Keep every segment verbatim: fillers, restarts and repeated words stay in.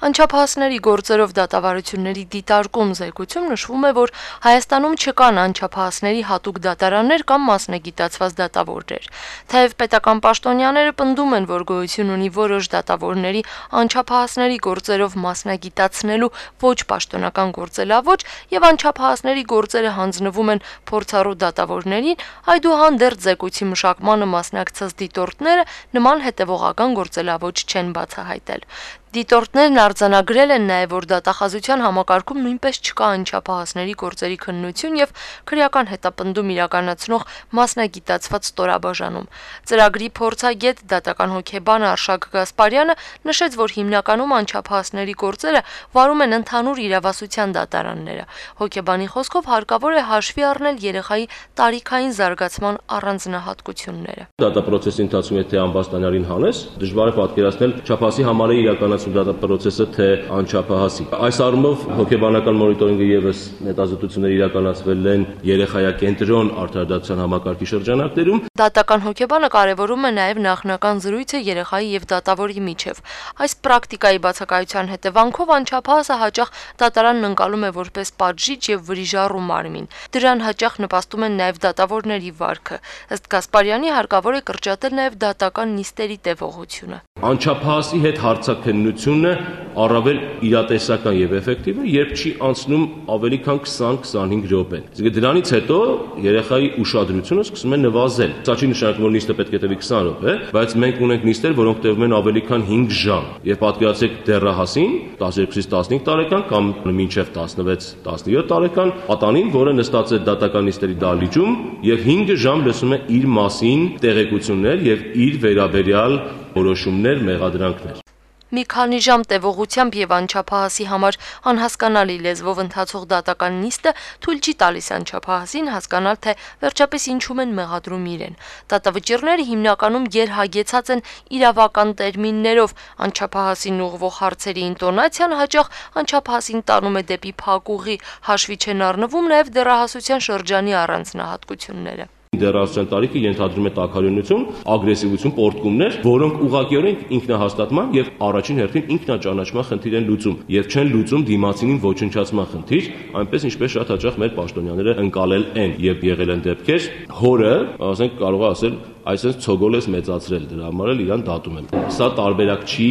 Անչափահասների գործերով դատավարությունների դիտարկում զեկույցում նշվում է, որ Հայաստանում չկան անչափահասների հատուկ դատարաններ կամ մասնագիտացված դատավորներ։ Թեև պետական պաշտոնյաները պնդում են, որ գոյություն ունի որոշ դատավորների անչափահասների գործերով մասնագիտացնելու ոչ պաշտոնական գործելավոճ եւ անչափահասների գործերը հանձնվում են փորձառու դատավորներին, այդուհանդերձ զեկույցի մշակմանը մասնակցած դիտորդները նման հետևողական գործելավոճ չեն բացահայտել։ Դիտորդներն արձանագրել են նաև, որ դատախազության համակարգում նույնպես չկա անչափահասների գործերի քննություն եւ քրեական հետապնդում իրականացնող մասնագիտացված ստորաբաժանում։ Ծրագրի փորձագետ դատական հոգեբան Արշակ Գասպարյանը նշեց, որ հիմնականում անչափահասների գործերը վարում են ընդհանուր իրավասության դատարանները։ Հոգեբանի խոսքով հարկավոր է հաշվի առնել երեխայի տարիքային զարգացման առանձնահատկությունները։ Դատապրոցեսի ընթացքում եթե ամբաստանյալին հանես, դժվար է պատկերացնել չափահասի համար է իրականացնում դատապրոցեսը թե անչափահասի։ Այս առումով հոգեբանական մոնիտորինգը եւս հետազոտություններ իրականացվել են երեխայակենտրոն արդարադատության համակարգի շրջանակներում։ Դատական հոգեբանը կարևորում է նաև նախնական զրույցը երեխայի եւ դատավորի միջև։ Այս պրակտիկայի բացակայության հետևանքով անչափահասը հաճախ դատարանն ընկալում է որպես պատժիչ եւ վրիժառու մարմին։ Դրան հաճախ նպաստում են նաև դատավորների վարքը։ Ըստ Գասպարյանի հարկավոր է կրճատել նաև դատական նիստերի տևողությունը։ Անչափահասի հետ հարցաքննությունը առավել իրատեսական եւ էֆեկտիվ է, երբ չի անցնում ավելի քան քսան-քսանհինգ րոպե։ Իսկ դրանից հետո երեխայի ուշադրությունը սկսում է նվազել։ Սա չի նշանակում, որ նիստը պետք է տևի քսան րոպե, բայց մենք ունենք նիստեր, որոնք տևում են ավելի քան հինգ ժամ։ Եվ պատկերացրեք դեռահասին, տասներկուից տասնհինգ տարեկան կամ մինչև տասնվեց տասնյոթ տարեկան, պատանին, որը նստած է դատական նիստերի դահլիճում եւ հինգ ժամ լսում է իր մասին տեղեկություններ եւ իր վերաբերյալ որոշումներ, մեղադրանքներ։ Մի քանի ժամ տևողությամբ եւ անչափահասի համար անհասկանալի լեզվով ընթացող դատական նիստը թույլ չի տալիս անչափահասին հասկանալ, թե վերջապես ինչում են մեղադրում իրեն։ Դատավճիռները հիմնականում գերհագեցած են իրավական տերմիններով, անչափահասին ուղղվող հարցերի ինտոնացիան հաճախ անչափահասին տանում է դեպի փակուղի, հաշվի չեն առնվում նաեւ դեռահասության շրջանի առանձնահատկությունները։ Դեռահասության տարիքը ենթադրում է տաքարյունություն, ագրեսիվություն, պոռթկումներ, որոնք ուղղակիորեն ինքնահաստատման եւ առաջին հերթին ինքնաճանաչման խնդիր են լուծում եւ չեն լուծում դիմացինին ոչնչացման խնդիր, այնպես ինչպես շատ հաճախ մեր պաշտոնյաները ընկալել են եւ եղել են դեպքեր, հորը, ասենք կարող է ասել, այսպես ցոգոլ ես մեծացրել, դրա համար էլ իրան դատում եմ։ Սա տարբերակ չի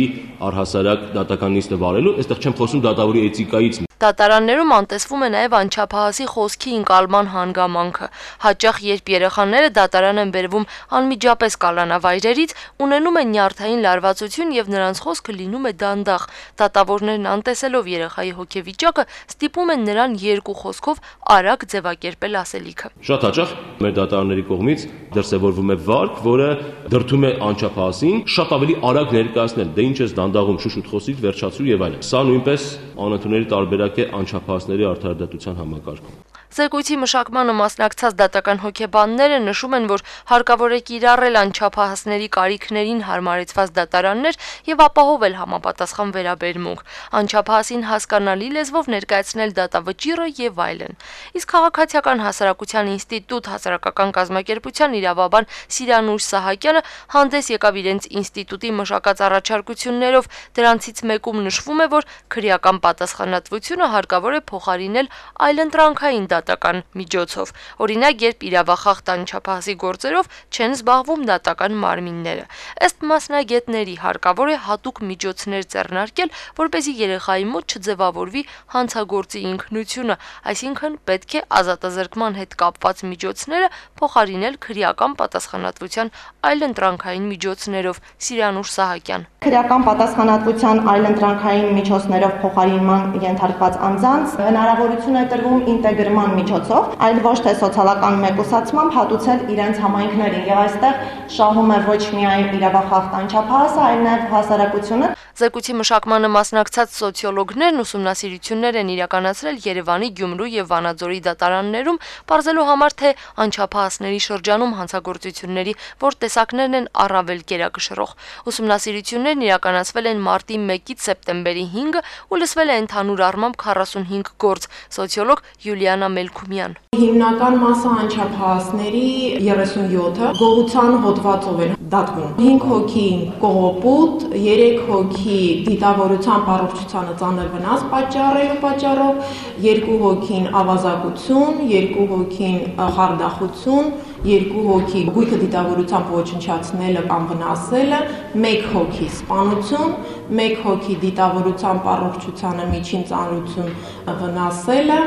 առհասարակ դատական նիստը վարելու, այստեղ չեմ խոսում դատավորի էթիկայից։ Դատարաններում անտեսվում է նաև անչափահասի խոսքի ընկալման հանգամանքը։ Հաճախ երբ երեխաները դատարան են բերվում անմիջապես կալանավայրերից, ունենում են նյարդային լարվածություն եւ նրանց խոսքը լինում է դանդաղ։ Դատավորներն անտեսելով երեխայի հոգեվիճակը ստիպում են նրան երկու խոսքով արագ ձևակերպել ասելիքը։ Շատ հաճախ մեր դատարանների կողմից դրսևորվում է վարք, որը դրդում է անչափահասին շատ ավելի արագ ներկայացնել, դե ինչ ես դանդաղում, շուշուտ խոսիր, վերջացրու եւ այլն։ Սա նույնպես անընդունելի տարբերակ է անչափահասների արդարադատության համակարգում։ Զեկույցի մշակմանը մասնակցած դատական հոգեբանները նշում են, որ հարկավոր է կիրառել անչափահասների կարիքներին հարմարեցված դատարաններ եւ ապահովել համապատասխան վերաբերմունք, անչափահասին հասկանալի լեզվով ներկայացնել դատավճիռը եւ այլն։ Իսկ Քաղաքացիական հասարակության ինստիտուտ հասարակական կազմակերպության իրավաբան Սիրանուշ Սահակյանը հանդես եկավ իրենց ինստիտուտի մշակած առաջարկություններով, դրանցից մեկում նշվում է, որ քրեական պատասխանատվությունը հարկավոր է փոխարինել այլընտրանքային դատական միջոցով։ Օրինակ, երբ իրավախախտ անչափահասի գործերով չեն զբաղվում դատական մարմինները։ Ըստ մասնագետների հարկավոր է հատուկ միջոցներ ձեռնարկել, որպեսզի երեխայի մոտ չձևավորվի հանցագործի ինքնությունը, այսինքն պետք է ազատազրկման հետ կապված միջոցները փոխարինել քրեական պատասխանատվության այլընտրանքային միջոցներով։ Սիրանուշ Սահակյան։ Քրեական պատասխանատվության այլընտրանքային միջոցներով փոխարինման ենթարկված անձանց հնարավորություն է տրվում ինտեգրման միջոցով, այլ ոչ թե սոցիալական մեկուսացմամբ հատուցել իրենց համայնքներին, եւ այստեղ շահում է ոչ միայն իրավախախտ անչափահասը, այլ նաեւ հասարակությունը։ Զեկույցի մշակմանը մասնակցած սոցիոլոգներն ուսումնասիրություններ են իրականացրել Երևանի, Գյումրու եւ Վանաձորի դատարաններում, պարզելու համար, թե անչափահասների շրջանում հանցագործությունների որ տեսակներն են առավել գերակշռող։ Ուսումնասիրություններն իրականացվել են մարտի մեկից սեպտեմբերի հինգը ու լսվել է ընդհանուր առմամբ քառասունհինգ գործ։ Սոցիոլոգ Յուլիանա Մելքումյան։ Հիմնական մասը անչափահասների երեսունյոթը գողության հոտ հոդվածով են դատվում։ հինգ հոգի կողոպուտ, երեք հոգի դիտավորության առողջությանը ծանր վնաս պատճառելու պատճառով, երկու հոգին ավազակություն, երկու հոգին խարդախություն, երկու հոգի գույքը դիտավորությամբ ոչնչացնելը կամ վնասելը, մեկ հոգի սպանություն, մեկ հոգի դիտավորությամբ առողջությանը միջին ծանրություն վնասելը։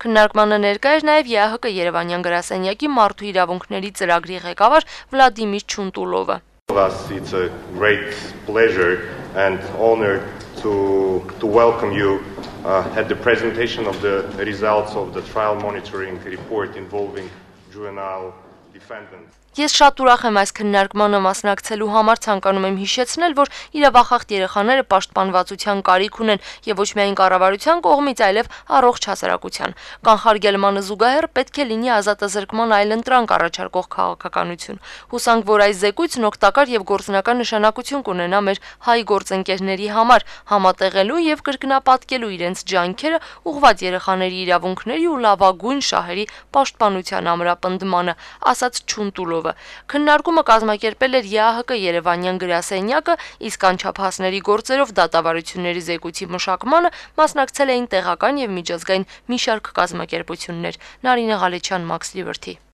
Քննարկմանը ներկա էր նաև ԵԱՀԿ Երևանյան գրասենյակի մարդու իրավունքների ծրագրի ղեկավար Վլադիմիր Չունտուլովը։ It's a great pleasure and honor to to welcome you uh, at the presentation of the results of the trial monitoring report involving juvenile defendants. Ես շատ ուրախ եմ այս քննարկմանը մասնակցելու համար, ցանկանում եմ հիշեցնել, որ իրավախախտ երեխաները պաշտպանվածության կարիք ունեն եւ ոչ միայն կառավարության կողմից, այլև առողջ հասարակության։ Կանխարգելմանը զուգահեռ պետք է լինի ազատազրկման այլընտրանք առաջարկող քաղաքականություն։ Հուսանք, որ այս զեկույցն օգտակար եւ գործնական նշանակություն կունենա մեր հայ գործընկերների համար, համատեղելու եւ կրկնապատկելու իրենց ջանքերը ուղղված երեխաների իրավունքների ու լավագույն շահերի պաշտպանության ամրապնդմանը, ասաց Չունտուլով։ Քննարկումը կազմակերպել էր ԵԱՀԿ Երևանյան գրասենյակը, իսկ անչափահասների գործերով դատավարությունների զեկույցի մշակմանը մասնակցել էին տեղական եւ միջազգային մի շարք կազմակերպություններ։ Նարինե Ղալեչյան, Մաքս Լիբերթի։